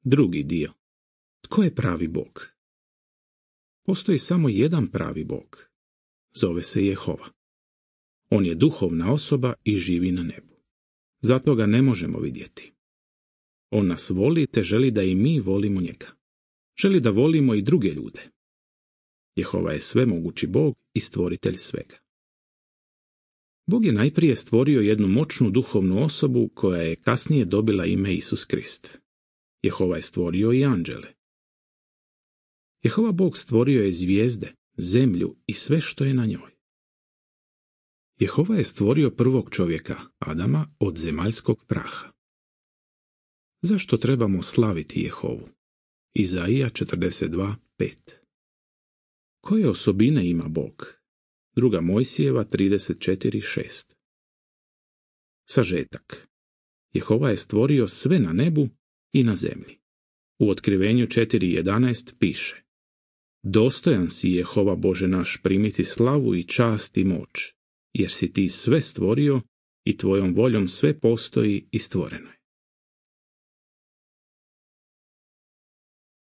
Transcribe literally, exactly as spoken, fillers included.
Drugi dio. Tko je pravi Bog? Postoji samo jedan pravi Bog. Zove se Jehova. On je duhovna osoba i živi na nebu. Zato ga ne možemo vidjeti. On nas voli te želi da i mi volimo njega. Želi da volimo i druge ljude. Jehova je svemogući Bog i stvoritelj svega. Bog je najprije stvorio jednu moćnu duhovnu osobu koja je kasnije dobila ime Isus Krist. Jehova je stvorio i anđele. Jehova Bog stvorio je zvijezde, zemlju i sve što je na njoj. Jehova je stvorio prvog čovjeka, Adama, od zemaljskog praha. Zašto trebamo slaviti Jehovu? Izaija četrdeset dva pet. Koje osobine ima Bog? Druga Mojsijeva trideset četiri šest. Sažetak. Jehova je stvorio sve na nebu i na zemlji. U Otkrivenju četiri jedanaest piše: Dostojan si, Jehova Bože naš, primiti slavu i čast i moć, jer si ti sve stvorio i tvojom voljom sve postoji i stvoreno je.